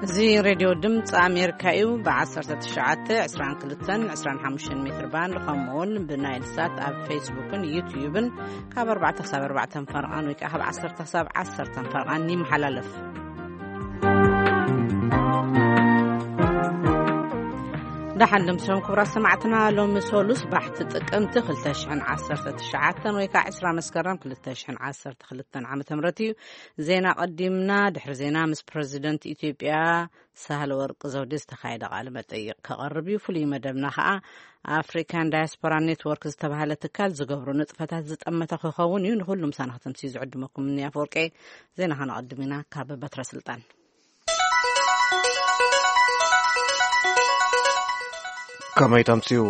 እዚ ሬድዮ ድምፂ ኣሜሪካ እዩ። ብ19 22 25 ሜትር ባንድ፣ ከምኡውን ብናይል ሳት ኣብ ፌስቡክን ዩትዩብን ካብ ኣርባዕተ ክሳብ ኣርባዕተ ፈረቓን ወይ ከዓ ካብ ዓሰርተ ክሳብ ዓሰርተ ፈረቓን ይመሓላለፍ። ደሓን ደምሲሶም ክቡራት ሰማዕትና፣ ሎሚ ሶሉስ ባሕቲ ጥቅምቲ ክልተ ሽሕን ዓሰርተ ትሽዓተን ወይ ከዓ ዕስራ መስከረም ክልተ ሽሕን ዓሰርተ ክልተን ዓመተ ምህረት እዩ። ዜና ቀዲምና፣ ድሕሪ ዜና ምስ ፕረዚደንት ኢትዮጵያ ሳህለ ወርቅ ዘውዴ ዝተኻየደ ቃለ መጠይቅ ከቐርብ እዩ። ፍሉይ መደብና ከዓ ኣፍሪካን ዳያስፖራ ኔትወርክ ዝተባሃለ ትካል ዝገብሮ ንጥፈታት ዝጠመተ ክኸውን እዩ። ንኩሉ ምሳና ከተምስዩ ዝዕድመኩም እኒ ኣፈወርቄ። ዜና ከነቐድም ኢና ካብ በትረ ስልጣን። ከመይ ተምስዩ?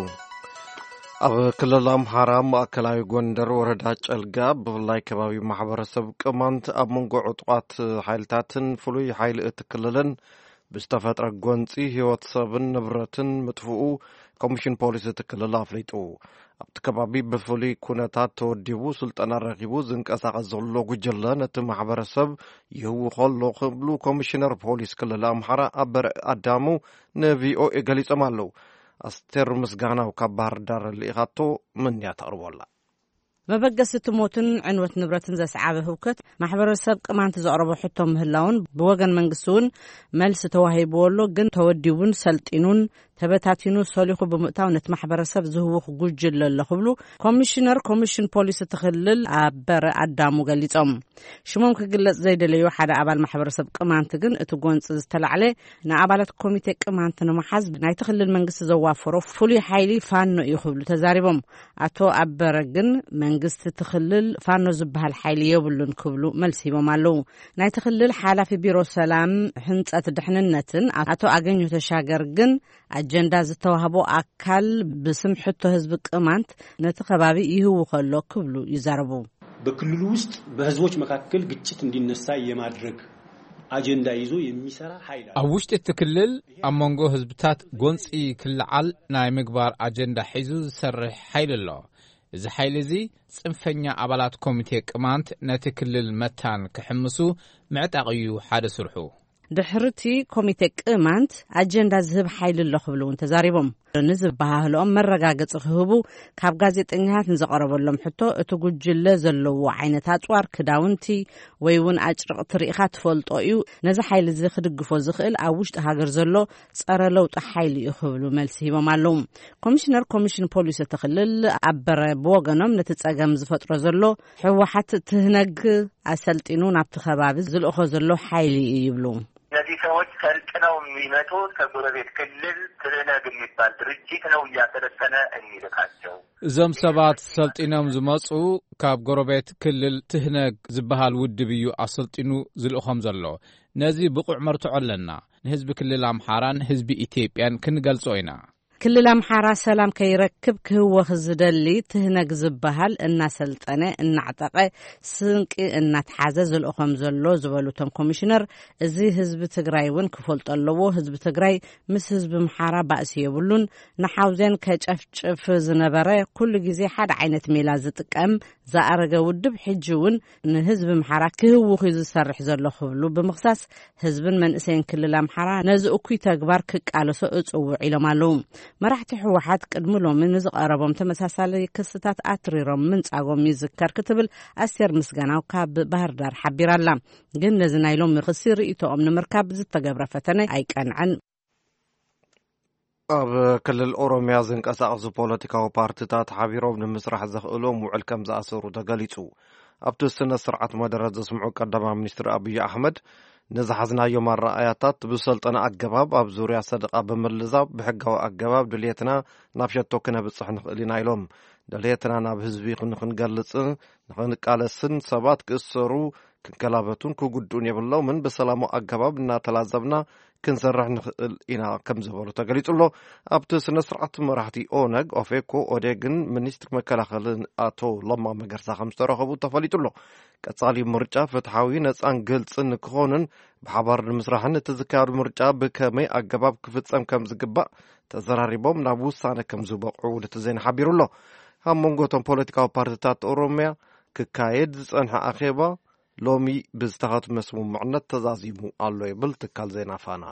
ኣብ ክልል ኣምሓራ ማእከላዊ ጎንደር ወረዳ ጨልጋ ብፍላይ ከባቢ ማሕበረሰብ ቅማንት ኣብ መንጎ ዕጡቓት ሓይልታትን ፍሉይ ሓይሊ እቲ ክልልን ብዝተፈጥረ ጎንፂ ህይወት ሰብን ንብረትን ምጥፍኡ ኮሚሽን ፖሊስ እቲ ክልል ኣፍሊጡ። ኣብቲ ከባቢ ብፍሉይ ኩነታት ተወዲቡ ስልጠና ረኺቡ ዝንቀሳቐስ ዘሎ ጉጅለ ነቲ ማሕበረሰብ ይህውኾ ኣሎ ክብሉ ኮሚሽነር ፖሊስ ክልል ኣምሓራ ኣበረ ኣዳሙ ንቪኦኤ ገሊጾም ኣለዉ። ኣስቴር ምስጋናው ካብ ባህር ዳር ልኢኻቶ፣ ምንያ ተቕርቦ ኣላ። መበገሲ እቲ ሞትን ዕንወት ንብረትን ዘስዓበ ህውከት ማሕበረሰብ ቅማንት ዘቕረቦ ሕቶ ምህላውን ብወገን መንግስቲ እውን መልሲ ተዋሂብዎ ኣሎ። ግን ተወዲቡን ሰልጢኑን ተበታቲኑ ሰሊኹ ብምእታው ነቲ ማሕበረሰብ ዝህውኽ ጉጅለ ኣሎ ክብሉ ኮሚሽነር ኮሚሽን ፖሊስ እቲ ክልል ኣበረ ኣዳሙ ገሊጾም። ሽሞም ክግለጽ ዘይደለዩ ሓደ ኣባል ማሕበረሰብ ቅማንት ግን እቲ ጎንፂ ዝተላዕለ ንኣባላት ኮሚቴ ቅማንት ንምሓዝ ናይቲ ክልል መንግስቲ ዘዋፈሮ ፍሉይ ሓይሊ ፋኖ እዩ ክብሉ ተዛሪቦም። ኣቶ ኣበረ ግን መንግስቲ እቲ ክልል ፋኖ ዝበሃል ሓይሊ የብሉን ክብሉ መልሲ ሂቦም ኣለዉ። ናይቲ ክልል ሓላፊ ቢሮ ሰላም፣ ህንጸት፣ ድሕንነትን ኣቶ ኣገኘሁ ተሻገር ግን ኣጀንዳ ዝተዋህቦ ኣካል ብስም ሕቶ ህዝቢ ቅማንት ነቲ ከባቢ ይህውኸ ኣሎ ክብሉ ይዛረቡ። በክልሉ ውስጥ በህዝቦች መካከል ግጭት እንዲነሳ የማድረግ አጀንዳ ይዞ የሚሰራ ኃይል አለ። ኣብ ውሽጢ እቲ ክልል ኣብ መንጎ ህዝብታት ጎንፂ ክልዓል ናይ ምግባር ኣጀንዳ ሒዙ ዝሰርሕ ሓይሊ ኣሎ። እዚ ሓይሊ እዚ ጽንፈኛ ኣባላት ኮሚቴ ቅማንት ነቲ ክልል መታን ክሕምሱ ምዕጣቕ እዩ ሓደ ስርሑ። ድሕርቲ ኮሚቴ ቅማንት ኣጀንዳ ዝህብ ሓይሊ ኣሎ ክብሉ እውን ተዛሪቦም። ንዝበሃህልኦም መረጋገፂ ክህቡ ካብ ጋዜጠኛታት ንዝቐረበሎም ሕቶ፣ እቲ ጉጅለ ዘለዎ ዓይነት ኣፅዋር፣ ክዳውንቲ ወይ እውን ኣጭርቕቲ ርኢኻ ትፈልጦ እዩ፣ ነዚ ሓይሊ እዚ ክድግፎ ዝኽእል ኣብ ውሽጢ ሃገር ዘሎ ጸረ ለውጢ ሓይሊ እዩ ክብሉ መልሲ ሂቦም ኣለዉ። ኮሚሽነር ኮሚሽን ፖሊስ እቲ ክልል ኣበረ ብወገኖም፣ ነቲ ጸገም ዝፈጥሮ ዘሎ ህወሓት ትህነግ ኣሰልጢኑ ናብቲ ከባቢ ዝልእኾ ዘሎ ሓይሊ እዩ ይብሉ። እነዚህ ሰዎች ሰልጥነው የሚመጡት ከጎረቤት ክልል ትህነግ የሚባል ድርጅት ነው እያሰለጠነ የሚልካቸው። እዞም ሰባት ሰልጢኖም ዝመጹ ካብ ጎረቤት ክልል ትህነግ ዝበሃል ውድብ እዩ ኣሰልጢኑ ዝልእኾም ዘሎ። ነዚ ብቑዕ መርትዖ ኣለና። ንህዝቢ ክልል ኣምሓራን ህዝቢ ኢትዮጵያን ክንገልጾ ኢና። ክልል ኣምሓራ ሰላም ከይረክብ ክህወኽ ዝደሊ ትህነግ ዝበሃል እናሰልጠነ፣ እናዕጠቐ፣ ስንቂ እናተሓዘ ዝልእኾም ዘሎ ዝበሉ እቶም ኮሚሽነር፣ እዚ ህዝቢ ትግራይ እውን ክፈልጦ ኣለዎ። ህዝቢ ትግራይ ምስ ህዝቢ ኣምሓራ ባእሲ የብሉን። ንሓውዜን ከጨፍጭፍ ዝነበረ፣ ኩሉ ግዜ ሓደ ዓይነት ሜላ ዝጥቀም ዝኣረገ ውድብ፣ ሕጂ እውን ንህዝቢ ኣምሓራ ክህውኽ እዩ ዝሰርሕ ዘሎ ክብሉ ብምኽሳስ፣ ህዝብን መንእሰይን ክልል ኣምሓራ ነዚ እኩይ ተግባር ክቃለሶ እጽውዕ ኢሎም ኣለዉ። መራሕቲ ህወሓት ቅድሚ ሎሚ ንዝቐረቦም ተመሳሳሊ ክስታት ኣትሪሮም ምንጻጎም ይዝከር ክትብል ኣስቴር ምስጋናው ካብ ባህር ዳር ሓቢራ ኣላ። ግን ነዚ ናይ ሎሚ ክሲ ርእይቶኦም ንምርካብ ዝተገብረ ፈተነ ኣይቀንዐን። ኣብ ክልል ኦሮሚያ ዝንቀሳቐሱ ፖለቲካዊ ፓርቲታት ሓቢሮም ንምስራሕ ዘኽእሎም ውዕል ከም ዝኣሰሩ ተገሊጹ። ኣብቲ ስነ ስርዓት መደረ ዘስምዑ ቀዳማይ ሚኒስትር ኣብይ ኣሕመድ፣ ንዝሓዝናዮም ኣረኣያታት ብሰልጠነ ኣገባብ ኣብ ዙርያ ሰደቓ ብምልዛብ ብሕጋዊ ኣገባብ ድልየትና ናብ ሸቶ ክነብጽሕ ንኽእል ኢና ኢሎም። ድልየትና ናብ ህዝቢ ንኽንገልጽን ንኽንቃለስን ሰባት ክእሰሩ፣ ክንከላበቱን ክጉድኡን የብሎምን። ብሰላማዊ ኣገባብ እናተላዘብና ክንሰርሕ ንኽእል ኢና ከም ዝበሉ ተገሊጹ ኣሎ። ኣብቲ ስነ ስርዓት መራሕቲ ኦነግ፣ ኦፌኮ፣ ኦዴግን ሚኒስትር መከላኸልን ኣቶ ለማ መገርሳ ከም ዝተረኸቡ ተፈሊጡ ኣሎ። ቀጻሊ ምርጫ ፍትሓዊ፣ ነጻን ግልጽን ክኾንን ብሓባር ንምስራሕን እቲ ዝካየዱ ምርጫ ብከመይ ኣገባብ ክፍጸም ከም ዝግባእ ተዘራሪቦም ናብ ውሳነ ከም ዝበቕዑ ውድቲ ዜና ሓቢሩ ኣሎ። ኣብ መንጎ እቶም ፖለቲካዊ ፓርቲታት ኦሮምያ ክካየድ ዝጸንሐ ኣኼባ ሎሚ ብዝተኸትመ ስምምዕነት ተዛዚሙ ኣሎ ይብል ትካል ዜና ፋና።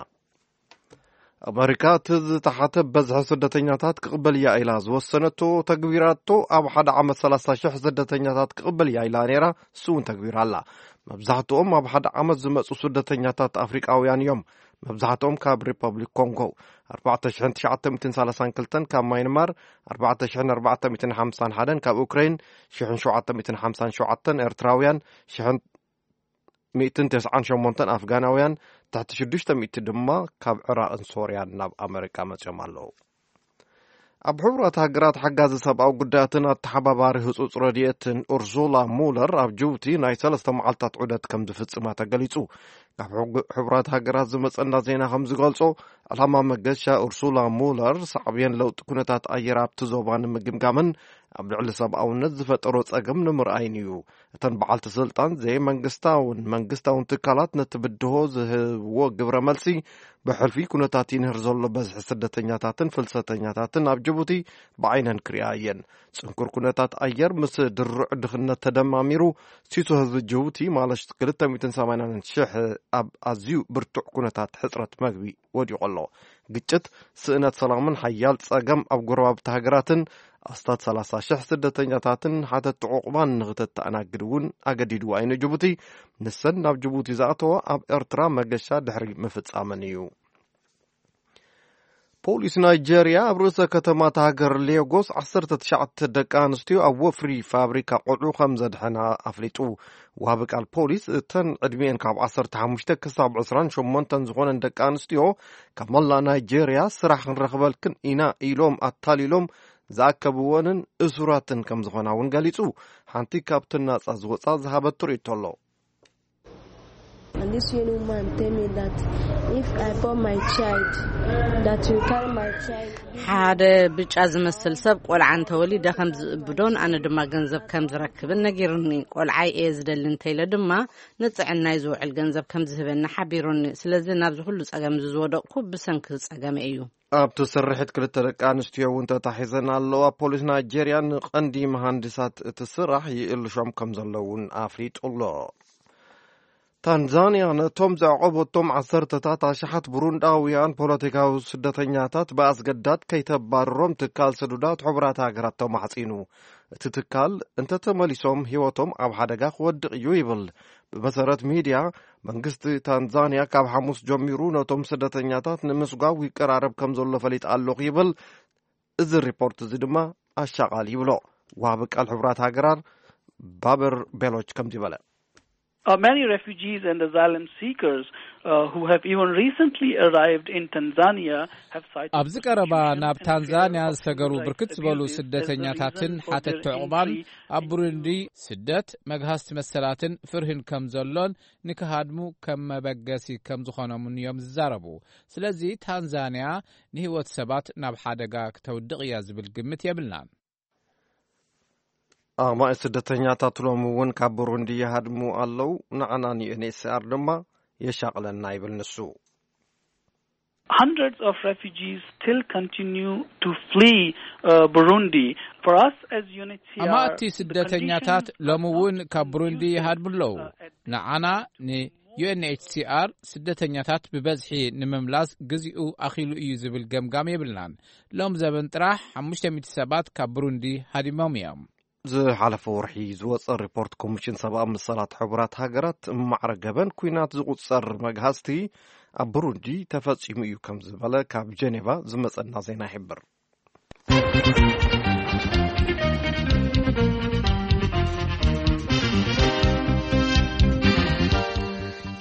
ኣመሪካ እቲ ዝተሓተ በዝሒ ስደተኛታት ክቕበል እያ ኢላ ዝወሰነቶ ተግቢራቶ፣ ኣብ ሓደ ዓመት ሰላሳ ሽሕ ስደተኛታት ክቕበል እያ ኢላ ነይራ፣ እሱ እውን ተግቢራ ኣላ። መብዛሕትኦም ኣብ ሓደ ዓመት ዝመጹ ስደተኛታት ኣፍሪቃውያን እዮም። መብዛሕትኦም ካብ ሪፐብሊክ ኮንጎ፣ ኣርባዕተ ሽሕን ትሽዓተ ሚእትን ሰላሳን ክልተን፣ ካብ ማይንማር፣ ኣርባዕተ ሽሕን ኣርባዕተ ሚእትን ሓምሳን ሓደን፣ ካብ ኡክሬን፣ ሽሕን ሸውዓተ ሚእትን ሓምሳን ሸውዓተን ኤርትራውያን፣ ሽሕን ሚእትን ተስዓን ሸሞንተን ኣፍጋናውያን፣ ትሕቲ ሽዱሽተ ሚእቲ ድማ ካብ ዕራቕን ሶርያን ናብ ኣመሪካ መጺኦም ኣለዉ። ኣብ ሕቡራት ሃገራት ሓጋዚ ሰብኣዊ ጉዳያትን ኣተሓባባሪ ህጹጽ ረድኤትን ኡርሱላ ሙለር ኣብ ጅቡቲ ናይ ሰለስተ መዓልታት ዑደት ከም ዝፍጽማ ተገሊጹ። ካብ ሕጉ-፣ ሕቡራት ሃገራት ዝመጸና ዜና ከም ዝገልጾ፣ ዕላማ መገሻ ኡርሱላ ሙለር ሳዕቤን ለውጢ ኩነታት ኣየር ኣብቲ ዞባ ንምግምጋምን ኣብ ልዕሊ ሰብኣውነት ዝፈጠሮ ጸገም ንምርኣይን እዩ። እተን በዓልቲ ስልጣን ዘይመንግስታውን መንግስታውን ትካላት ነቲ ብድሆ ዝህብዎ ግብረ መልሲ ብሕልፊ ኩነታት ይንህር ዘሎ በዝሒ ስደተኛታትን ፍልሰተኛታትን ኣብ ጅቡቲ ብዓይነን ክሪኣ እየን። ጽንኩር ኩነታት ኣየር ምስ ድሩዕ ድኽነት ተደማሚሩ፣ ሲሶ ህዝቢ ጅቡቲ ማለት ክልተ ሚእትን ሰማንያን ሽሕ ኣብ ኣዝዩ ብርቱዕ ኩነታት ሕጽረት መግቢ ወዲቑ ኣሎ። ግጭት፣ ስእነት ሰላምን ሓያል ጸገም ኣብ ጎረባብቲ ሃገራትን ኣስታት ሰላሳ ሽሕ ስደተኛታትን ሓተቲ ዕቑባን ንኽተተኣናግድ እውን ኣገዲድዋ እዩ ንጅቡቲ። ንሰን ናብ ጅቡቲ ዝኣተዋ ኣብ ኤርትራ መገሻ ድሕሪ ምፍጻመን እዩ። ፖሊስ ናይጄርያ ኣብ ርእሰ ከተማ እታ ሃገር ሌጎስ ዓሰርተ ትሽዓተ ደቂ ኣንስትዮ ኣብ ወፍሪ ፋብሪካ ቆልዑ ከም ዘድሐና ኣፍሊጡ። ዋቢ ቃል ፖሊስ፣ እተን ዕድሚኤን ካብ ዓሰርተ ሓሙሽተ ክሳብ ዕስራን ሸሞንተን ዝኾነን ደቂ ኣንስትዮ ካብ መላእ ናይጄርያ ስራሕ ክንረኽበልክን ኢና ኢሎም ኣታሊሎም ዝኣከብወንን እሱራትን ከም ዝኾና እውን ገሊጹ። ሓንቲ ካብተን ናጻ ዝወጻ ዝሃበቶ ርእይቶ ኣሎ። And this young woman tell me that if I born my child, that you carry my child. ሓደ ብጫ ዝመስል ሰብ ቆልዓ እንተወሊደ ከም ዝእብዶን ኣነ ድማ ገንዘብ ከም ዝረክብን ነጊሩኒ። ቆልዓይ እየ ዝደሊ እንተኢለ ድማ ንጥዕናይ ዝውዕል ገንዘብ ከም ዝህበኒ ሓቢሩኒ። ስለዚ ናብዚ ኩሉ ጸገም እዚ ዝወደቕኩ ብሰንኪ ጸገመ እዩ። ኣብቲ ስርሒት ክልተ ደቂ ኣንስትዮ እውን ተታሒዘን ኣለዋ። ፖሊስ ናይጄርያ ንቐንዲ መሃንድሳት እቲ ስራሕ ይእልሾም ከም ዘለውን ኣፍሊጡ ኣሎ። ታንዛንያ ነቶም ዘዕቆበቶም ዓሰርተታት ኣሽሓት ብሩንዳውያን ፖለቲካዊ ስደተኛታት ብኣስገዳድ ከይተባርሮም ትካል ስዱዳት ሕቡራት ሃገራት ተማሕጺኑ። እቲ ትካል እንተተመሊሶም ህይወቶም ኣብ ሓደጋ ክወድቕ እዩ ይብል። ብመሰረት ሚድያ፣ መንግስቲ ታንዛንያ ካብ ሓሙስ ጀሚሩ ነቶም ስደተኛታት ንምስጓው ይቀራረብ ከም ዘሎ ፈሊጥ ኣለኹ ይብል። እዚ ሪፖርት እዚ ድማ ኣሻቓሊ ይብሎ። ዋቢ ቃል ሕቡራት ሃገራት ባበር ቤሎች ከምዚ በለ። Uh, many refugees and asylum seekers uh, who have even recently arrived in Tanzania have cited ኣብዚ ቀረባ ናብ ታንዛንያ ዝሰገሩ ብርክት ዝበሉ ስደተኛታትን ሓተቲ ዕቑባን ኣብ ብሩንዲ ስደት፣ መግሃስቲ መሰላትን ፍርህን ከም ዘሎን ንክሃድሙ ከም መበገሲ ከም ዝኾኖምን እዮም ዝዛረቡ። ስለዚ ታንዛንያ ንህይወት ሰባት ናብ ሓደጋ ክተውድቕ እያ ዝብል ግምት የብልናን። ኣማኢ ስደተኛታት ሎሚ እውን ካብ ብሩንዲ ይሃድሙ ኣለዉ። ንዓና ንዩኤንኤችሲኣር ድማ የሻቕለና ይብል ንሱ። Hundreds of refugees still continue to flee uh, Burundi. For us as UNHCR, ኣማእቲ ስደተኛታት ሎሚ እውን ካብ ብሩንዲ ይሃድሙ ኣለዉ። ንዓና ንዩኤንኤችሲኣር ስደተኛታት ብበዝሒ ንምምላስ ግዚኡ ኣኺሉ እዩ ዝብል ገምጋም የብልናን። ሎም ዘበን ጥራሕ ሓሙሽተ ሚእቲ ሰባት ካብ ብሩንዲ ሃዲሞም እዮም። ዝሓለፈ ወርሒ ዝወፀ ሪፖርት ኮሚሽን ሰብኣዊ መሰላት ሕቡራት ሃገራት ማዕረ ገበን ኩናት ዝቁፀር መግሃስቲ ኣብ ብሩንዲ ተፈፂሙ እዩ ከም ዝበለ ካብ ጀኔቫ ዝመፀና ዜና ይሕብር።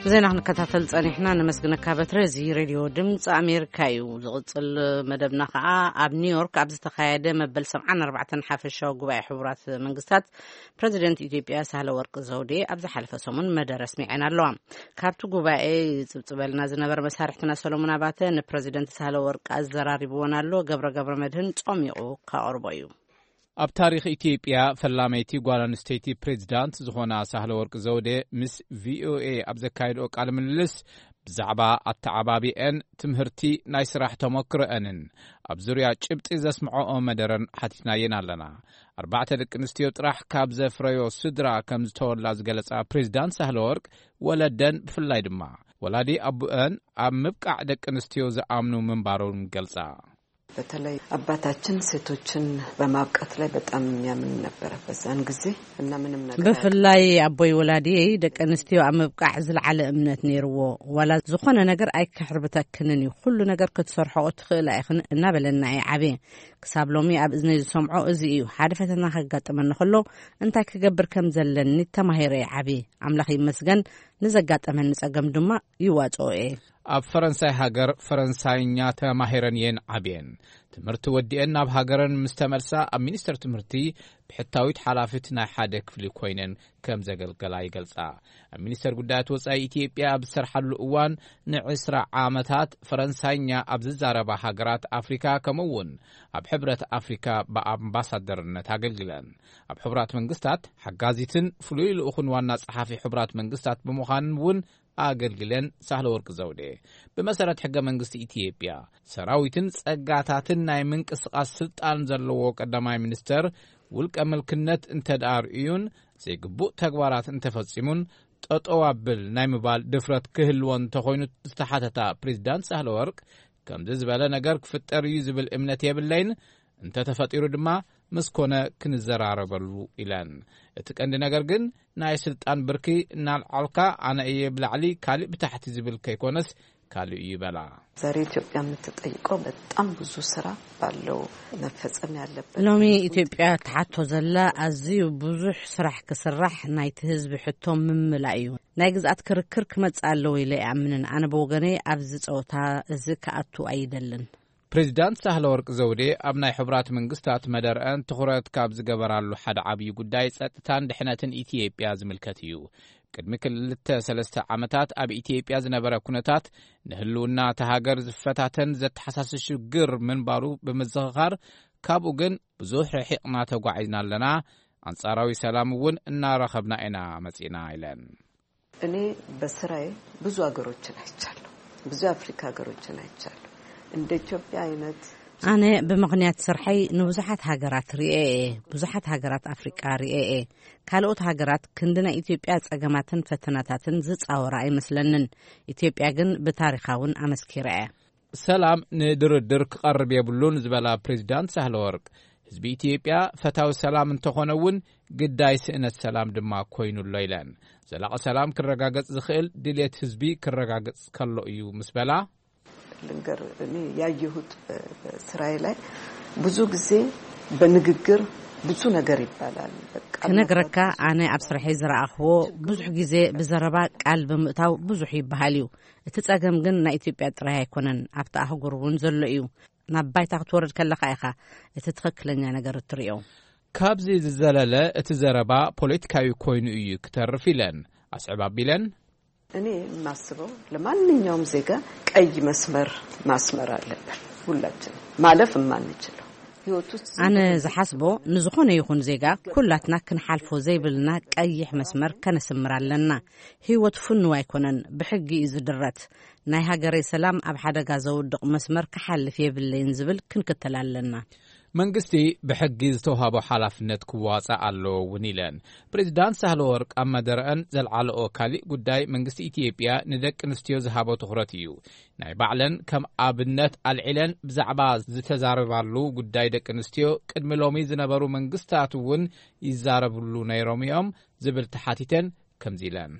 ዜና ክንከታተል ጸኒሕና። ነመስግነካ በትረ። እዚ ሬድዮ ድምፂ ኣሜሪካ እዩ። ዝቕፅል መደብና ከዓ ኣብ ኒውዮርክ ኣብ ዝተኻየደ መበል ሰብዓን ኣርባዕተን ሓፈሻዊ ጉባኤ ሕቡራት መንግስታት ፕረዚደንት ኢትዮጵያ ሳህለ ወርቅ ዘውዴ ኣብ ዝሓለፈ ሰሙን መደረ ኣስሚዐን ኣለዋ። ካብቲ ጉባኤ ይፅብፅበልና ዝነበረ መሳርሕትና ሰሎሞን ኣባተ ንፕረዚደንት ሳህለ ወርቅ ኣዘራሪብዎን ኣሎ። ገብረ ገብረ መድህን ጾሚቑ ካቕርቦ እዩ። ኣብ ታሪኽ ኢትዮጵያ ፈላመይቲ ጓል ኣንስተይቲ ፕሬዚዳንት ዝኾና ሳህለ ወርቅ ዘውዴ ምስ ቪኦኤ ኣብ ዘካየድኦ ቃለ ምልልስ ብዛዕባ ኣተዓባቢአን፣ ትምህርቲ፣ ናይ ስራሕ ተመክሮአንን ኣብ ዙርያ ጭብጢ ዘስምዐኦ መደረን ሓቲትናየን ኣለና። ኣርባዕተ ደቂ ኣንስትዮ ጥራሕ ካብ ዘፍረዮ ስድራ ከም ዝተወላ ዝገለጻ ፕሬዚዳንት ሳህለወርቅ፣ ወለደን ብፍላይ ድማ ወላዲ ኣቡአን ኣብ ምብቃዕ ደቂ ኣንስትዮ ዝኣምኑ ምንባሮም ገልጻ። በተለይ አባታችን ሴቶችን በማብቃት ላይ በጣም የሚያምን ነበረ በዛን ጊዜ እና ምንም ነገር ብፍላይ ኣቦይ ወላዲየይ ደቂ ኣንስትዮ ኣብ ምብቃዕ ዝለዓለ እምነት ነይርዎ። ዋላ ዝኾነ ነገር ኣይከሕርብተክንን እዩ፣ ኩሉ ነገር ክትሰርሖኦ ትኽእላ ኢኽን እናበለና እየ ዓብየ። ክሳብ ሎሚ ኣብ እዝነይ ዝሰምዖ እዚ እዩ። ሓደ ፈተና ከጋጥመኒ ከሎ እንታይ ክገብር ከም ዘለኒ ተማሂረ እየ ዓብየ። ኣምላኽ ይመስገን፣ ንዘጋጠመኒ ጸገም ድማ ይዋጽኦ እየ። ኣብ ፈረንሳይ ሃገር ፈረንሳይኛ ተማሂረን እየን ዓብየን። ትምህርቲ ወዲአን ናብ ሃገረን ምስ ተመልሳ ኣብ ሚኒስተር ትምህርቲ ብሕታዊት ሓላፊት ናይ ሓደ ክፍሊ ኮይነን ከም ዘገልገላ ይገልጻ። ኣብ ሚኒስተር ጉዳያት ወጻኢ ኢትዮጵያ ኣብ ዝሰርሓሉ እዋን ንዕስራ ዓመታት ፈረንሳይኛ ኣብ ዝዛረባ ሃገራት ኣፍሪካ ከምኡ እውን ኣብ ሕብረት ኣፍሪካ ብኣምባሳደርነት ኣገልግለን። ኣብ ሕቡራት መንግስታት ሓጋዚትን ፍሉይ ልኡኽን ዋና ጸሓፊ ሕቡራት መንግስታት ብምዃን እውን ኣገልግለን። ሳህለ ወርቅ ዘውዴ ብመሰረት ሕገ መንግስቲ ኢትዮጵያ ሰራዊትን ጸጋታትን ናይ ምንቅስቓስ ስልጣን ዘለዎ ቀዳማይ ሚኒስተር ውልቀ ምልክነት እንተ ደኣ ርእዩን ዘይግቡእ ተግባራት እንተፈጺሙን ጠጠው ኣብል ናይ ምባል ድፍረት ክህልዎ እንተኾይኑ ዝተሓተታ ፕሬዚዳንት ሳህለ ወርቅ ከምዚ ዝበለ ነገር ክፍጠር እዩ ዝብል እምነት የብለይን፣ እንተተፈጢሩ ድማ ምስ ኮነ ክንዘራረበሉ ኢለን። እቲ ቀንዲ ነገር ግን ናይ ስልጣን ብርኪ እናልዓልካ ኣነ እየ ብላዕሊ ካልእ ብታሕቲ ዝብል ከይኮነስ ካልእ እዩ በላ። ዛሬ ኢትዮጵያ የምትጠይቀው በጣም ብዙ ስራ ባለው መፈጸም ያለበት ሎሚ ኢትዮጵያ ትሓቶ ዘላ ኣዝዩ ብዙሕ ስራሕ ክስራሕ ናይቲ ህዝቢ ሕቶ ምምላእ እዩ። ናይ ግዝኣት ክርክር ክመጽእ ኣለዎ ኢለ ይኣምንን። ኣነ ብወገነይ ኣብዚ ጸወታ እዚ ክኣቱ ኣይደልን። ፕሬዚዳንት ሳህለ ወርቅ ዘውዴ ኣብ ናይ ሕቡራት መንግስታት መደርአን ትኹረት ካብ ዝገበራሉ ሓደ ዓብዪ ጉዳይ ጸጥታን ድሕነትን ኢትዮጵያ ዝምልከት እዩ። ቅድሚ ክልተ ሰለስተ ዓመታት ኣብ ኢትዮጵያ ዝነበረ ኩነታት ንህልውና እታ ሃገር ዝፈታተን ዘተሓሳስብ ሽግር ምንባሩ ብምዝኽኻር፣ ካብኡ ግን ብዙሕ ርሒቕና ተጓዒዝና ኣለና፣ ኣንጻራዊ ሰላም እውን እናረኸብና ኢና መጺእና ኢለን። እኔ በስራዬ ብዙ ሀገሮችን አይቻለሁ። ብዙ የአፍሪካ ሀገሮችን አይቻለሁ። እንደ ኢትዮጵያ አይነት ኣነ ብምኽንያት ስርሐይ ንብዙሓት ሃገራት ርእየ እየ። ብዙሓት ሃገራት ኣፍሪቃ ርእየ እየ። ካልኦት ሃገራት ክንዲ ናይ ኢትዮጵያ ጸገማትን ፈተናታትን ዝጻወራ ኣይመስለንን። ኢትዮጵያ ግን ብታሪኻ እውን ኣመስኪራ እያ። ሰላም ንድርድር ክቐርብ የብሉን ዝበላ ፕሬዚዳንት ሳህለ ወርቅ፣ ህዝቢ ኢትዮጵያ ፈታዊ ሰላም እንተኾነ እውን ግዳይ ስእነት ሰላም ድማ ኮይኑ ኣሎ ኢለን። ዘላቒ ሰላም ክረጋገጽ ዝኽእል ድልየት ህዝቢ ክረጋገጽ ከሎ እዩ ምስ በላ፣ ልንገር እኔ ያየሁት በስራዬ ላይ ብዙ ጊዜ በንግግር ብዙ ነገር ይባላል። በቃ ክነግረካ፣ ኣነ ኣብ ስርሐይ ዝረኣኽዎ ብዙሕ ግዜ ብዘረባ ቃል ብምእታው ብዙሕ ይበሃል እዩ። እቲ ጸገም ግን ናይ ኢትዮጵያ ጥራይ ኣይኮነን፣ ኣብቲ ኣህጉር እውን ዘሎ እዩ። ናብ ባይታ ክትወርድ ከለኻ ኢኻ እቲ ትኽክለኛ ነገር እትርእዮ። ካብዚ ዝዘለለ እቲ ዘረባ ፖለቲካዊ ኮይኑ እዩ ክተርፍ ኢለን ኣስዕብ ኣቢለን። እኔ የማስበው ለማንኛውም ዜጋ ቀይ መስመር ማስመር አለብን። ሁላችን ማለፍ የማንችለው ህይወት ውስጥ ኣነ ዝሓስቦ ንዝኾነ ይኹን ዜጋ ኩላትና ክንሓልፎ ዘይብልና ቀይሕ መስመር ከነስምር ኣለና። ህይወት ፍኑው ኣይኮነን፣ ብሕጊ እዩ ዝድረት። ናይ ሃገረይ ሰላም ኣብ ሓደጋ ዘውድቕ መስመር ክሓልፍ የብለይን ዝብል ክንክተል ኣለና። መንግስቲ ብሕጊ ዝተውሃቦ ሓላፍነት ክዋጻእ ኣለዎ እውን ኢለን። ፕሬዚዳንት ሳህለ ወርቅ ኣብ መደረአን ዘልዓለኦ ካሊእ ጉዳይ መንግስቲ ኢትዮጵያ ንደቂ ኣንስትዮ ዝሃቦ ትኹረት እዩ። ናይ ባዕለን ከም ኣብነት ኣልዒለን ብዛዕባ ዝተዛረባሉ ጉዳይ ደቂ ኣንስትዮ ቅድሚ ሎሚ ዝነበሩ መንግስታት እውን ይዛረብሉ ነይሮም እዮም ዝብል ተሓቲተን ከምዚ ኢለን።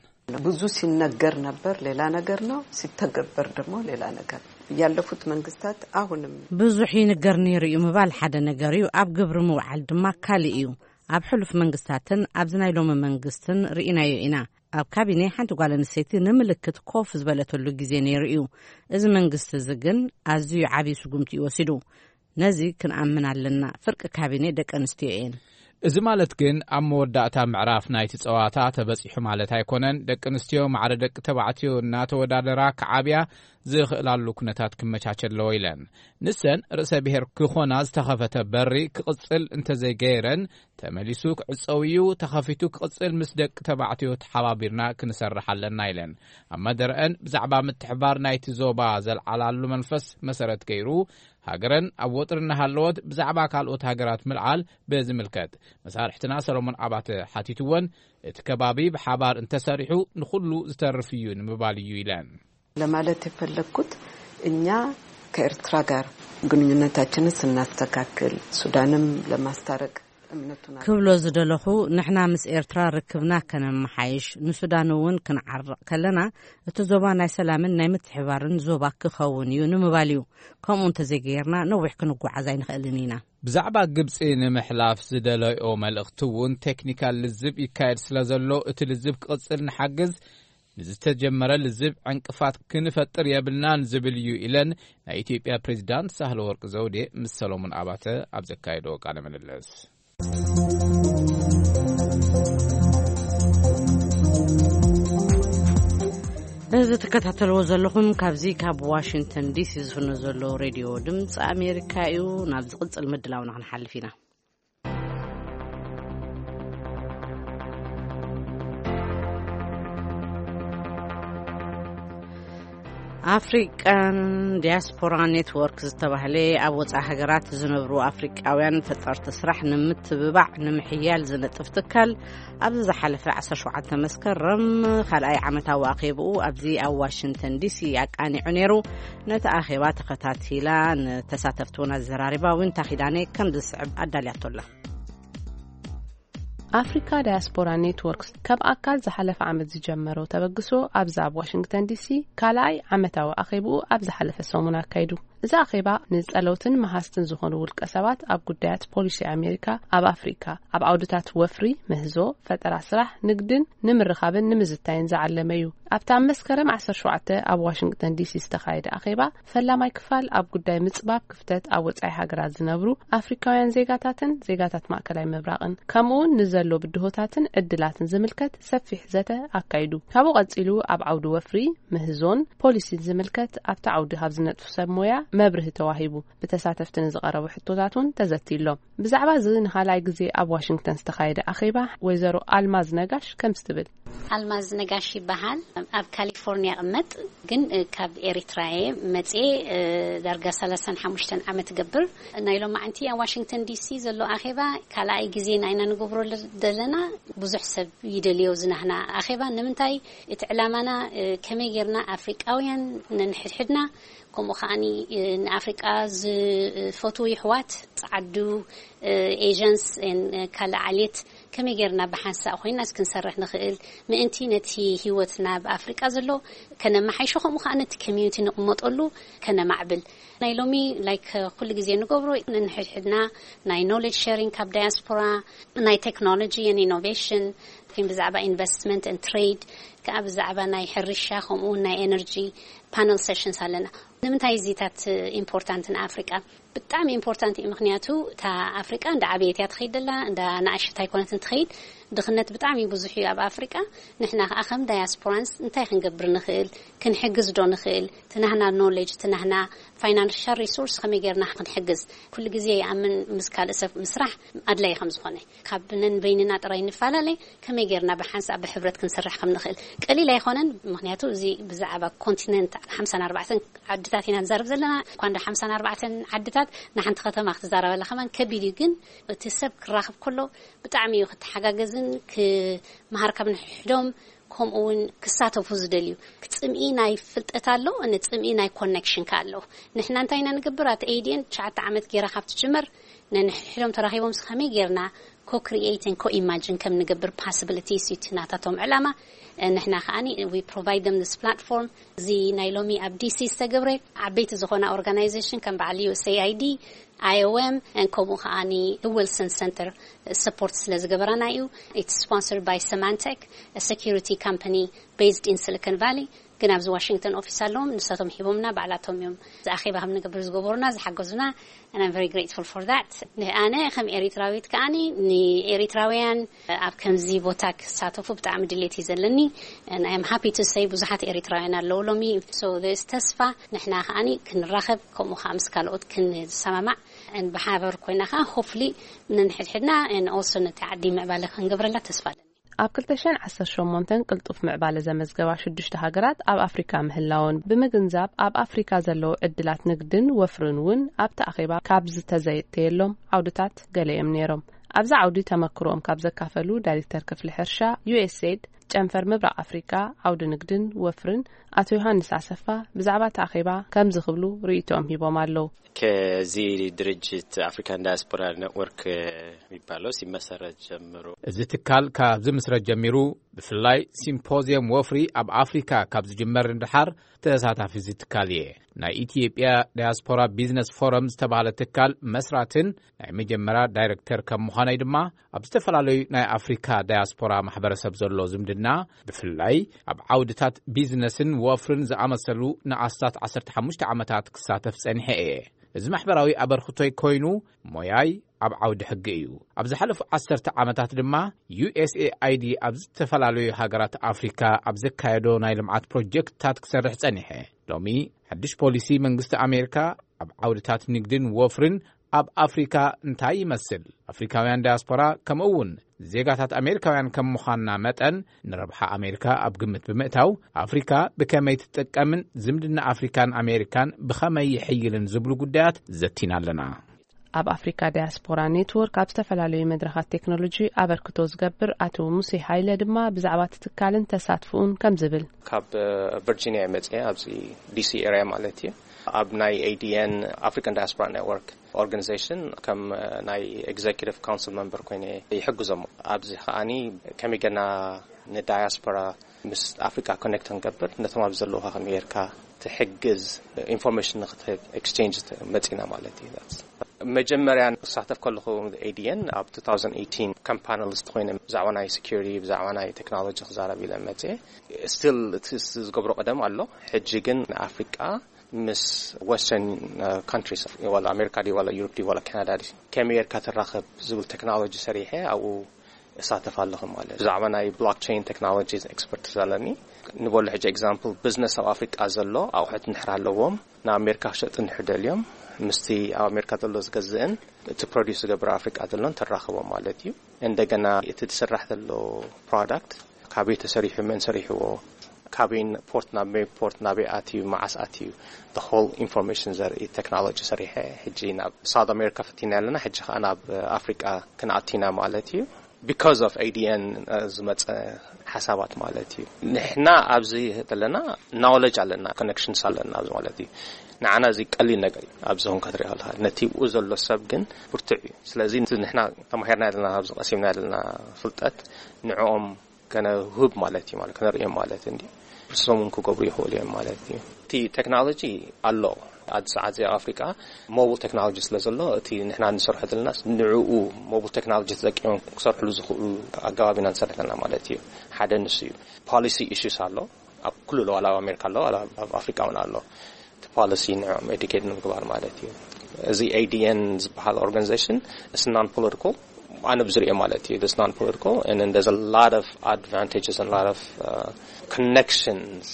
ብዙ ሲነገር ነበር፣ ሌላ ነገር ነው። ሲተገበር ደግሞ ሌላ ነገር። ያለፉት መንግስታት አሁንም ብዙሕ ይንገር ነይሩ እዩ ምባል ሓደ ነገር እዩ፣ ኣብ ግብሪ ምውዓል ድማ ካልእ እዩ። ኣብ ሕሉፍ መንግስታትን ኣብዚ ናይ ሎሚ መንግስትን ርኢናዮ ኢና። ኣብ ካቢኔ ሓንቲ ጓል ኣንስተይቲ ንምልክት ኮፍ ዝበለተሉ ግዜ ነይሩ እዩ። እዚ መንግስቲ እዚ ግን ኣዝዩ ዓብዪ ስጉምቲ እዩ ወሲዱ። ነዚ ክንኣምን ኣለና። ፍርቂ ካቢኔ ደቂ ኣንስትዮ እየን። እዚ ማለት ግን ኣብ መወዳእታ ምዕራፍ ናይቲ ጸዋታ ተበጺሑ ማለት ኣይኮነን። ደቂ ኣንስትዮ ማዕረ ደቂ ተባዕትዮ እናተወዳደራ ክዓብያ ዝኽእላሉ ኩነታት ክመቻቸ ኣለዎ ኢለን። ንሰን ርእሰ ብሔር ክኾና ዝተኸፈተ በሪ ክቕጽል እንተዘይገይረን፣ ተመሊሱ ክዕጸው እዩ። ተኸፊቱ ክቕጽል ምስ ደቂ ተባዕትዮ ተሓባቢርና ክንሰርሕ ኣለና ኢለን። ኣብ መደረአን ብዛዕባ ምትሕባር ናይቲ ዞባ ዘልዓላሉ መንፈስ መሰረት ገይሩ፣ ሃገረን ኣብ ወጥሪ እናሃለወት ብዛዕባ ካልኦት ሃገራት ምልዓል ብዝምልከት መሳርሕትና ሰሎሞን ኣባተ ሓቲትወን፣ እቲ ከባቢ ብሓባር እንተሰሪሑ ንኹሉ ዝተርፍ እዩ ንምባል እዩ ኢለን። ለማለት የፈለግኩት እኛ ከኤርትራ ጋር ግንኙነታችንን ስናስተካክል ሱዳንም ለማስታረቅ እምነቱን ክብሎ ዝደለኹ፣ ንሕና ምስ ኤርትራ ርክብና ከነመሓይሽ፣ ንሱዳን እውን ክንዓርቕ ከለና፣ እቲ ዞባ ናይ ሰላምን ናይ ምትሕባርን ዞባ ክኸውን እዩ ንምባል እዩ። ከምኡ እንተዘይገይርና ነዊሕ ክንጓዓዝ ኣይንኽእልን ኢና። ብዛዕባ ግብጺ ንምሕላፍ ዝደለዮ መልእኽቲ እውን ቴክኒካል ልዝብ ይካየድ ስለ ዘሎ፣ እቲ ልዝብ ክቕጽል ንሓግዝ፣ ንዝተጀመረ ልዝብ ዕንቅፋት ክንፈጥር የብልናን ዝብል እዩ ኢለን ናይ ኢትዮጵያ ፕሬዚዳንት ሳህለ ወርቅ ዘውዴ ምስ ሰሎሞን ኣባተ ኣብ ዘካየዶ ቃለ ምልልስ። እዚ ትከታተልዎ ዘለኹም ካብዚ ካብ ዋሽንግተን ዲሲ ዝፍኖ ዘሎ ሬድዮ ድምፂ ኣሜሪካ እዩ። ናብ ዝቕፅል ምድላውና ክንሓልፍ ኢና። ኣፍሪቃን ዲያስፖራ ኔትወርክ ዝተባህለ ኣብ ወፃኢ ሃገራት ዝነብሩ ኣፍሪቃውያን ፈጠርቲ ስራሕ ንምትብባዕ ንምሕያል ዝነጥፍ ትካል፣ ኣብዚ ዝሓለፈ ዓሰርተ ሸውዓተ መስከረም ካልኣይ ዓመታዊ ኣኼብኡ ኣብዚ ኣብ ዋሽንግተን ዲሲ ኣቃኒዑ ነይሩ። ነቲ ኣኼባ ተኸታቲላ ንተሳተፍቲ እውን ኣዘራሪባ ዊንታ ኪዳነ ከም ዝስዕብ ኣዳልያቶላ። ኣፍሪካ ዳያስፖራ ኔትወርክ ካብ ኣካል ዝሓለፈ ዓመት ዝጀመሮ ተበግሶ ኣብዚ ኣብ ዋሽንግተን ዲሲ ካልኣይ ዓመታዊ ኣኼብኡ ኣብ ዝሓለፈ ሰሙን ኣካይዱ። እዚ ኣኼባ ንጸለውትን መሃዝትን ዝኾኑ ውልቀ ሰባት ኣብ ጉዳያት ፖሊሲ ኣሜሪካ ኣብ ኣፍሪካ ኣብ ዓውድታት ወፍሪ፣ ምህዞ፣ ፈጠራ ስራሕ፣ ንግድን ንምርኻብን ንምዝታይን ዝዓለመ እዩ። ኣብቲ ኣብ መስከረም ዓሰርተ ሸውዓተ ኣብ ዋሽንግተን ዲሲ ዝተኻየደ ኣኼባ ፈላማይ ክፋል ኣብ ጉዳይ ምጽባብ ክፍተት ኣብ ወጻኢ ሃገራት ዝነብሩ ኣፍሪካውያን ዜጋታትን ዜጋታት ማእከላይ ምብራቕን ከምኡ እውን ንዘሎ ብድሆታትን ዕድላትን ዝምልከት ሰፊሕ ዘተ ኣካይዱ። ካብኡ ቀጺሉ ኣብ ዓውዲ ወፍሪ፣ ምህዞን ፖሊሲን ዝምልከት ኣብቲ ዓውዲ ካብ ዝነጥፉ ሰብ ሞያ መብርሂ ተዋሂቡ። ብተሳተፍቲ ንዝቐረቡ ሕቶታት እውን ተዘትዩ ኣሎ። ብዛዕባ እዚ ንኻልኣይ ግዜ ኣብ ዋሽንግተን ዝተኻየደ ኣኼባ ወይዘሮ ኣልማዝ ነጋሽ ከምዚ ትብል። ኣልማዝ ነጋሽ ይበሃል። ኣብ ካሊፎርኒያ እቕመጥ፣ ግን ካብ ኤሪትራ እየ መፅየ። ዳርጋ ሰላሳን ሓሙሽተን ዓመት ገብር። ናይ ሎማዓንቲ ኣብ ዋሽንግተን ዲሲ ዘሎ ኣኼባ ካልኣይ ግዜ ናይና ንገብሮ ዘለና። ብዙሕ ሰብ ይደልዮ ዝናህና ኣኼባ። ንምንታይ? እቲ ዕላማና ከመይ ጌርና ኣፍሪቃውያን ነንሕድሕድና፣ ከምኡ ከዓኒ ንኣፍሪቃ ዝፈትዉ ይሕዋት፣ ጸዓዱ፣ ኤጀንስ፣ ካልእ ዓሌት ከመይ ጌርና ብሓንሳእ ኮይና ክንሰርሕ ንኽእል፣ ምእንቲ ነቲ ህይወትና ኣብ ኣፍሪቃ ዘሎ ከነመሓይሾ፣ ከምኡ ከኣ ነቲ ኮሚዩኒቲ ንቕመጠሉ ከነማዕብል። ናይ ሎሚ ላይክ ኩሉ ግዜ ንገብሮ፣ ንሕድሕድና ናይ ኖሌጅ ሸሪንግ ካብ ዳያስፖራ፣ ናይ ቴክኖሎጂ ን ኢኖቬሽን፣ ብዛዕባ ኢንቨስትመንት ን ትሬድ፣ ከኣ ብዛዕባ ናይ ሕርሻ ከምኡ እውን ናይ ኤነርጂ ፓነል ሴሽንስ ኣለና። ንምንታይ እዚታት ኢምፖርታንት ንኣፍሪቃ? ብጣዕሚ ኢምፖርታንት እዩ። ምክንያቱ እታ ኣፍሪቃ እንዳ ዓበየት እያ ትኸይድ ደላ፣ እንዳ ናእሸት ኣይኮነትን ትኸይድ። ድኽነት ብጣዕሚ ብዙሕ እዩ ኣብ ኣፍሪቃ። ንሕና ከኣ ከም ዳያስፖራንስ እንታይ ክንገብር ንኽእል? ክንሕግዝ ዶ ንኽእል? ትናህና ኖሌጅ፣ ትናህና ፋይናንሻል ሪሶርስ ከመይ ጌርና ክንሕግዝ? ኩሉ ግዜ ይኣምን ምስ ካልእ ሰብ ምስራሕ ኣድላይ ከም ዝኾነ። ካብ ነንበይንና ጥራይ ንፈላለ፣ ከመይ ጌርና ብሓንሳእ ብሕብረት ክንሰርሕ ከም ንኽእል ቀሊል ኣይኮነን። ምክንያቱ እዚ ብዛዕባ ኮንቲነንት ሓምሳን ኣርባዕተን ዓድታት ኢና ንዛረብ ዘለና። እኳ እንዳ ሓምሳን ኣርባዕተን ዓድታት ንሓንቲ ከተማ ክትዛረበላ ከማን ከቢድ እዩ። ግን እቲ ሰብ ክራኸብ ከሎ ብጣዕሚ እዩ ክተሓጋገዝን ክመሃር ካብ ንሕዶም ከምኡ እውን ክሳተፉ ዝደልዩ። ጽምኢ ናይ ፍልጠት ኣሎ፣ ጽምኢ ናይ ኮኔክሽን ከ ኣሎ። ንሕና እንታይ ኢና ንገብር? ኣቲ ኤዲኤን ትሽዓተ ዓመት ጌራ ካብ ትጅመር ነንሕድሕዶም ተራኺቦም ከመይ ጌርና ኮ ክሪኤትን ኮ ኢማጅን ከም ንገብር ፓስብሊቲስ እዩ እቲ ናታቶም ዕላማ። ንሕና ከዓኒ we provide them this platform። እዚ ናይ ሎሚ ኣብ ዲሲ ዝተገብረ ዓበይቲ ዝኾና ኦርጋናይዜሽን ከም በዓል ዩ ኤስ ኤ ኣይ ዲ፣ ኣይ ኦ ኤም፣ ከምኡ ከዓኒ ዊልሰን ሰንተር ሰፖርት ስለ ዝገበራና እዩ። It's sponsored by Symantec, a security company based in Silicon Valley። ግን ኣብዚ ዋሽንግተን ኦፊስ ኣለዎም፣ ንሳቶም ሂቦምና፣ ባዕላቶም እዮም እዚ ኣኼባ ከም ንገብር ዝገበሩና፣ ዝሓገዙና። And I'm very grateful for that. ኣነ ከም ኤሪትራዊት ከኣኒ ንኤሪትራውያን ኣብ ከምዚ ቦታ ክሳተፉ ብጣዕሚ ድሌት እዩ ዘለኒ። And I'm happy to say ብዙሓት ኤሪትራውያን ኣለዉ ሎሚ። So there's ተስፋ፣ ንሕና ከኣኒ ክንራኸብ፣ ከምኡ ከዓ ምስ ካልኦት ክንሰማማዕ፣ and ብሓበር ኮይና ከዓ hopefully ነንሕድሕድና and also ነቲ ዓዲ ምዕባለ ክንገብረላ ተስፋ ኣለኒ። ኣብ ክልተ ሽሕን ዓሰርተ ሸሞንተን ቅልጡፍ ምዕባለ ዘመዝገባ ሽዱሽተ ሃገራት ኣብ ኣፍሪካ ምህላወን ብምግንዛብ፣ ኣብ ኣፍሪካ ዘለዉ ዕድላት ንግድን ወፍርን እውን ኣብቲ ኣኼባ ካብ ዝተዘየተየሎም ዓውድታት ገለ እዮም ነይሮም። ኣብዚ ዓውዲ ተመክሮኦም ካብ ዘካፈሉ ዳይሬክተር ክፍሊ ሕርሻ ዩ ኤስ ኤድ ጨንፈር ምብራቕ ኣፍሪካ ዓውዲ ንግድን ወፍርን ኣቶ ዮሃንስ ኣሰፋ ብዛዕባ እቲ ኣኼባ ከምዚ ክብሉ ርእይቶኦም ሂቦም ኣለዉ። ከዚ ድርጅት ኣፍሪካን ዳያስፖራ ኔትወርክ የሚባለው ሲመሰረት ጀምሮ፣ እዚ ትካል ካብ ዝምስረት ጀሚሩ፣ ብፍላይ ሲምፖዚየም ወፍሪ ኣብ ኣፍሪካ ካብ ዝጅመር ንድሓር ተሳታፊ እዚ ትካል እየ። ናይ ኢትዮጵያ ዳያስፖራ ቢዝነስ ፎረም ዝተባህለ ትካል መስራትን ናይ መጀመርያ ዳይሬክተር ከም ምዃነይ ድማ፣ ኣብ ዝተፈላለዩ ናይ ኣፍሪካ ዳያስፖራ ማሕበረሰብ ዘሎ ዝምድና፣ ብፍላይ ኣብ ዓውድታት ቢዝነስን ወፍርን ዝኣመሰሉ ንኣስታት ዓሰርተ ሓሙሽተ ዓመታት ክሳተፍ ጸኒሐ እየ። እዚ ማሕበራዊ ኣበርክቶይ ኮይኑ፣ ሞያይ ኣብ ዓውዲ ሕጊ እዩ። ኣብ ዝሓለፉ ዓሰርተ ዓመታት ድማ፣ ዩ ኤስ ኤ ኣይ ዲ ኣብ ዝተፈላለዩ ሃገራት ኣፍሪካ ኣብ ዘካየዶ ናይ ልምዓት ፕሮጀክትታት ክሰርሕ ጸኒሐ። ሎሚ፣ ሓድሽ ፖሊሲ መንግስቲ ኣሜሪካ ኣብ ዓውድታት ንግድን ወፍርን ኣብ ኣፍሪካ እንታይ ይመስል? ኣፍሪካውያን ዳያስፖራ፣ ከምኡ እውን ዜጋታት ኣሜሪካውያን ከም ምዃንና መጠን፣ ንረብሓ ኣሜሪካ ኣብ ግምት ብምእታው፣ ኣፍሪካ ብከመይ ትጥቀምን ዝምድና ኣፍሪካን ኣሜሪካን ብኸመይ ይሕይልን ዝብሉ ጉዳያት ዘቲና ኣለና። ኣብ ኣፍሪካ ዳያስፖራ ኔትወርክ ኣብ ዝተፈላለዩ መድረኻት ቴክኖሎጂ ኣበርክቶ ዝገብር ኣቶ ሙሴ ሃይለ ድማ ብዛዕባ እቲ ትካልን ተሳትፍኡን ከም ዝብል። ካብ ቨርጂኒያ መፅየ፣ ኣብዚ ዲ ሲ ኤሪያ ማለት እዩ። ኣብ ናይ ኤ ዲ ኤን፣ ኣፍሪካን ዳያስፖራ ኔትወርክ ኦርጋኒዜሽን፣ ከም ናይ ኤግዜኪቲቭ ካውንስል መምበር ኮይነ ይሕግዞም። ኣብዚ ከዓኒ ከመይ ገና ንዳያስፖራ ምስ ኣፍሪካ ኮኔክት ክንገብር፣ ነቶም ኣብ ዘለውካ ከመይ ጌርካ ትሕግዝ፣ ኢንፎርሜሽን ንክትህብ ኤክስቼንጅ መፂና ማለት እዩ። መጀመርያ ክሳተፍ ከለኹ ኤ ዲ ኤን ኣብ ቱ ታውዘንድ ኤይቲን ከም ፓነሊስት ኮይነ ብዛዕባ ናይ ሴኩሪቲ፣ ብዛዕባ ናይ ቴክኖሎጂ ክዛረብ ኢለ መፅየ። ስቲል እቲ ዝገብሮ ቀደም ኣሎ። ሕጂ ግን ንኣፍሪቃ ምስ ወስተርን ካንትሪስ፣ ዋላ ኣሜሪካ ድዩ ዋላ ዩሮፕ ድዩ ዋላ ካናዳ ድዩ፣ ከመይ ጌርካ ትራኸብ ዝብል ቴክኖሎጂ ሰሪሐ ኣብኡ እሳተፍ ኣለኹ ማለት። ብዛዕባ ናይ ብሎክቸይን ቴክኖሎጂ ኤክስፐርት ኣለኒ። ንበሉ ሕጂ ኤግዛምፕል፣ ቢዝነስ ኣብ ኣፍሪቃ ዘሎ ኣቑሑት እንድሕር ኣለዎም፣ ንኣሜሪካ ክሸጡ እንድሕር ደልዮም፣ ምስቲ ኣብ ኣሜሪካ ዘሎ ዝገዝእን እቲ ፕሮዲስ ዝገብር ኣፍሪቃ ዘሎን ተራኽቦም ማለት እዩ። እንደገና እቲ ዝስራሕ ዘሎ ፕሮዳክት ካበይ ተሰሪሑ፣ መን ሰሪሕዎ፣ ካበይ ፖርት፣ ናብ መን ፖርት፣ ናበይ ኣትዩ፣ መዓስ ኣትዩ፣ the whole ኢንፎርሜሽን ዘርኢ ቴክኖሎጂ ሰሪሐ ሕጂ ናብ ሳውት ኣሜሪካ ፈቲና ኣለና። ሕጂ ከዓ ናብ ኣፍሪቃ ክንኣቲና ማለት እዩ። ቢካዝ ኦፍ ኤ ዲ ኤን ዝመፀ ሓሳባት ማለት እዩ። ንሕና ኣብዚ ዘለና ናውለጅ ኣለና፣ ኮኔክሽንስ ኣለና ኣብዚ ማለት እዩ። ንዓና እዚ ቀሊል ነገር እዩ። ኣብዚ ኹን ክትሪኦ ከለካ ነቲ ብኡ ዘሎ ሰብ ግን ብርቱዕ እዩ። ስለዚ ንሕና ተማሂርና ዘለና፣ ኣብዚ ቀሲምና ዘለና ፍልጠት ንዕኦም ከነህብ ማለት እዩ፣ ማለት ከነርእዮም ማለት እንዲ ንሶም እውን ክገብሩ ይኽእሉ እዮም ማለት እዩ። እቲ ቴክኖሎጂ ኣሎ። ኣብዚ ሰዓት እዚ ኣብ ኣፍሪቃ ሞብል ቴክኖሎጂ ስለ ዘሎ፣ እቲ ንሕና ንሰርሖ ዘለና ንዕኡ ሞብል ቴክኖሎጂ ተጠቂሞም ክሰርሕሉ ዝኽእሉ ኣገባብ ኢና ንሰርሕ ዘለና ማለት እዩ። ሓደ ንሱ እዩ። ፖሊሲ ኢሹስ ኣሎ። ኣብ ኩሉ ኣሎ፣ ዋላ ኣብ ኣሜሪካ ኣሎ፣ ዋላ ኣብ ኣፍሪቃ እውን ኣሎ። እቲ ፖሊሲ ንዕኦም ኤዱኬት ንምግባር ማለት እዩ። እዚ ኤ ዲ ኤን ዝበሃል ኦርጋኒዜሽን፣ it's non political፣ ኣነ ብዝሪኦ ማለት እዩ። It's non political and there's a lot of advantages and lot of connections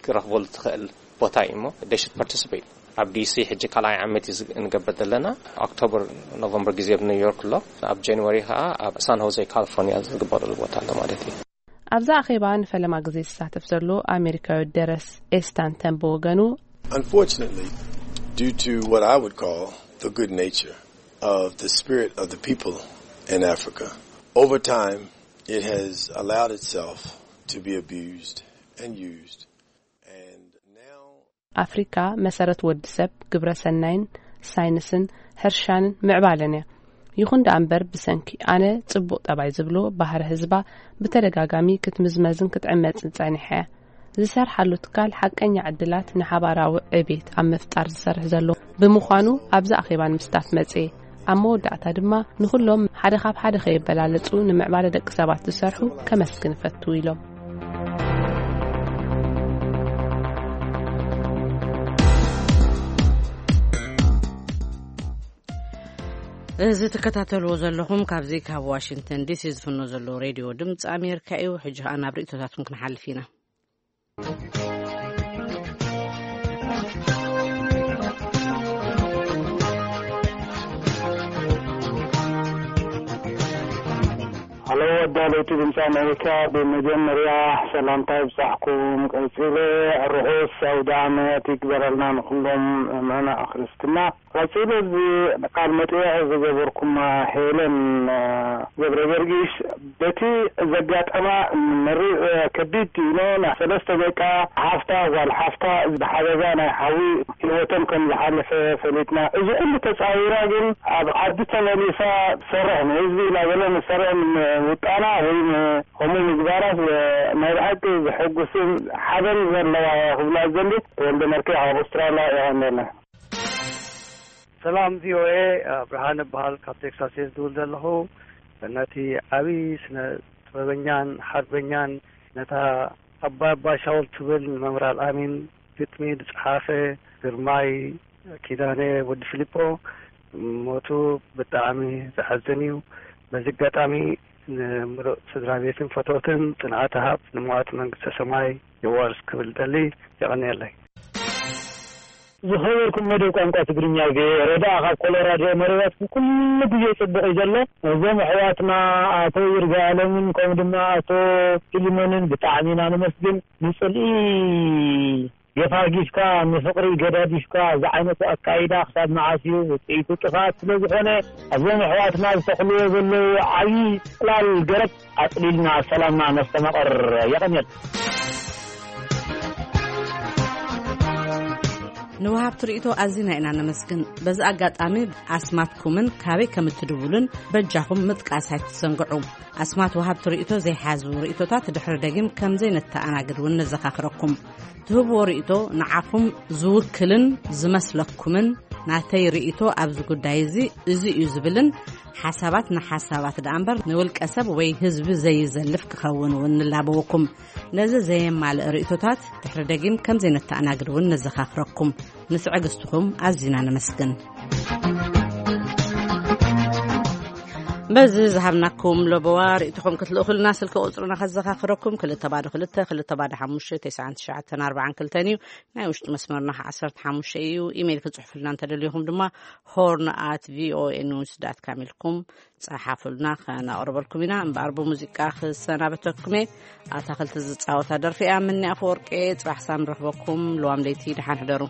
ክረኽበሉ ትኽእል ቦታ እዩ እሞ፣ they should participate። ኣብ ዲ ሲ ሕጂ ካልኣይ ዓመት እዩ ዝ-፣ ንገብር ዘለና። ኦክቶበር፣ ኖቨምበር ግዜ ኣብ ኒውዮርክ ኣሎ። ኣብ ጃንዋሪ ከዓ ኣብ ሳን ሆዜ ካሊፎርኒያ ዝግበረሉ ቦታ ኣሎ ማለት እዩ። ኣብዛ ኣኼባ ንፈለማ ግዜ ዝሳተፍ ዘሎ ኣሜሪካዊ ደረስ ኤስታንተን ብወገኑ፣ Unfortunately, due to what I would call the good nature of the spirit of the people in Africa, over time it has allowed itself to be abused and used, and now ኣፍሪካ መሰረት ወዲ ሰብ፣ ግብረ ሰናይን ሳይንስን ሕርሻንን ምዕባለን እያ። ይኹን ደኣ እምበር፣ ብሰንኪ ኣነ ጽቡቕ ጠባይ ዝብሎ ባህሪ ህዝባ ብተደጋጋሚ ክትምዝመዝን ክትዕመጽን ጸኒሓ እያ። ዝሰርሓሉ ትካል ሓቀኛ ዕድላት ንሓባራዊ ዕቤት ኣብ ምፍጣር ዝሰርሕ ዘሎ ብምዃኑ፣ ኣብዚ ኣኼባ ንምስታፍ መጽየ። ኣብ መወዳእታ ድማ፣ ንኹሎም ሓደ ካብ ሓደ ከየበላለጹ ንምዕባለ ደቂ ሰባት ዝሰርሑ ከመስግን እፈቱ ኢሎም። እዚ ትከታተልዎ ዘለኹም ካብዚ ካብ ዋሽንግተን ዲሲ ዝፍኖ ዘሎ ሬድዮ ድምፂ ኣሜሪካ እዩ። ሕጂ ኸኣ ናብ ርእይቶታትኩም ክንሓልፍ ኢና። ሃሎ፣ ኣዳለውቲ ድምፂ ኣሜሪካ፣ ብመጀመርያ ሰላምታ ይብፃሕኩም። ቀፂለ ርሑስ ኣውደ ዓመት ይግበረልና ንኩሎም ምእመና ክርስትና። ቀፂሉ፣ እዚ ቃል መጠይቕ ዝገበርኩማ ሄለን፣ እ፣ ገብረ ጊዮርጊስ፣ በቲ ዘጋጠማ መሪር፣ እ፣ ከቢድ ዲኖ፣ ናይ ሰለስተ ደቃ ሓፍታ፣ ጓል ሓፍታ፣ ብሓደጋ ናይ ሓዊ ህይወቶም ከም ዝሓለፈ ፈሊጥና። እዚ ኩሉ ተፃዊራ ግን ኣብ ዓዲ ተመሊሳ ትሰርሕ፣ ንህዝቢ ኢላ ገለ ንሰርሕ ውጣና ወይ ን-፣ ከምኡ ምግባራ፣ እ፣ ናይ ብሓቂ ዘሐጉስን ሓበን ዘለዋ ክብላ ዝደሊ። ተወልደ መርኬ ካብ ኣውስትራልያ የቐንየልና። ሰላም ቪ ኦ ኤ፣ ብርሃነ እበሃል፣ ካብ ቴክሳስ እየ ዝድውል ዘለኹ። ነቲ ዓብዪ ስነ ጥበበኛን ሓርበኛን፣ ነታ ኣባይ ኣባ ሻውል ትብል ንመምህር ኣልኣሚን ግጥሚ ዝጸሓፈ ግርማይ ኪዳነ ወዲ ፊሊፖ ሞቱ ብጣዕሚ ዘሐዝን እዩ። በዚ ኣጋጣሚ ንምሉእ ስድራ ቤትን ፈተውትን ጽንዓት ሃብ፣ ንመዋቲ መንግስተ ሰማይ የዋርስ ክብል ደሊ። የቐንየለይ። ዝኸበርኩም መደብ ቋንቋ ትግርኛ ቪ ኦ ኤ ረዳ ካብ ኮሎራዶ መደባትኩም ኩሉ ግዜ ጽቡቕ እዩ ዘሎ። እዞም ኣሕዋትና ኣቶ ይርጋ ኣለምን ከምኡ ድማ ኣቶ ፊሊሞንን ብጣዕሚ ኢና ነመስግን። ንጽልኢ ገፋጊፍካ፣ ንፍቕሪ ገዳዲፍካ፣ እዚ ዓይነቱ ኣካይዳ ክሳብ መዓስ እዩ? ውጽኢቱ ጥፍኣት ስለ ዝኾነ፣ እዞም ኣሕዋትና ዝተኽልዎ ዘለዉ ዓብዪ ጽላል ገረብ ኣጽሊልና ሰላምና ነስተማቕር። የቐንየል። ንወሃብቲ ርእይቶ ኣዚና ኢና ነመስግን። በዚ ኣጋጣሚ ኣስማትኩምን ካበይ ከም እትድውሉን በጃኹም ምጥቃስ ኣይትዘንግዑ። ኣስማት ወሃብቲ ርእይቶ ዘይሓዙ ርእይቶታት ድሕሪ ደጊም ከም ዘይነተኣናግድ እውን ነዘኻኽረኩም። ትህብዎ ርእይቶ ንዓኹም ዝውክልን ዝመስለኩምን፣ ናተይ ርእይቶ ኣብዚ ጉዳይ እዚ እዚ እዩ ዝብልን ሓሳባት ንሓሳባት ደኣ እምበር ንውልቀ ሰብ ወይ ህዝቢ ዘይዘልፍ ክኸውን እውን ንላበወኩም። ነዚ ዘየማልእ ርእይቶታት ድሕሪ ደጊም ከም ዘይነተኣናግድ እውን ነዘኻኽረኩም። ንትዕግስትኹም ኣዚና ነመስግን። በዚ ዝሃብናኩም ለበዋ ርእይቶኹም ክትልእኹልና ስልኪ ቁጽርና ከዘኻኽረኩም፣ ክልተ ባዶ ክልተ፣ ክልተ ባዶ ሓሙሽተ፣ ተስዓን ትሽዓተን ኣርባዓን ክልተን እዩ። ናይ ውሽጢ መስመርና ኸዓ ዓሰርተ ሓሙሽተ እዩ። ኢሜይል ክትጽሕፉልና እንተደሊኹም ድማ ሆርን ኣት ቪ ኦ ኤ ኒውስ ዳት ካም ኢልኩም ጸሓፉልና፣ ከነቕርበልኩም ኢና። እምበኣር ብሙዚቃ ክሰናበተኩም እየ። ኣታኽልቲ ዝጻወታ ደርፊ እያ። ምኒ ኣፈወርቂ፣ ጽባሕ ሳም ንረኽበኩም። ልዋም ለይቲ፣ ደሓን ሕደሩ።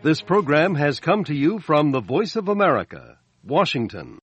This program has come to you from the Voice of America, Washington.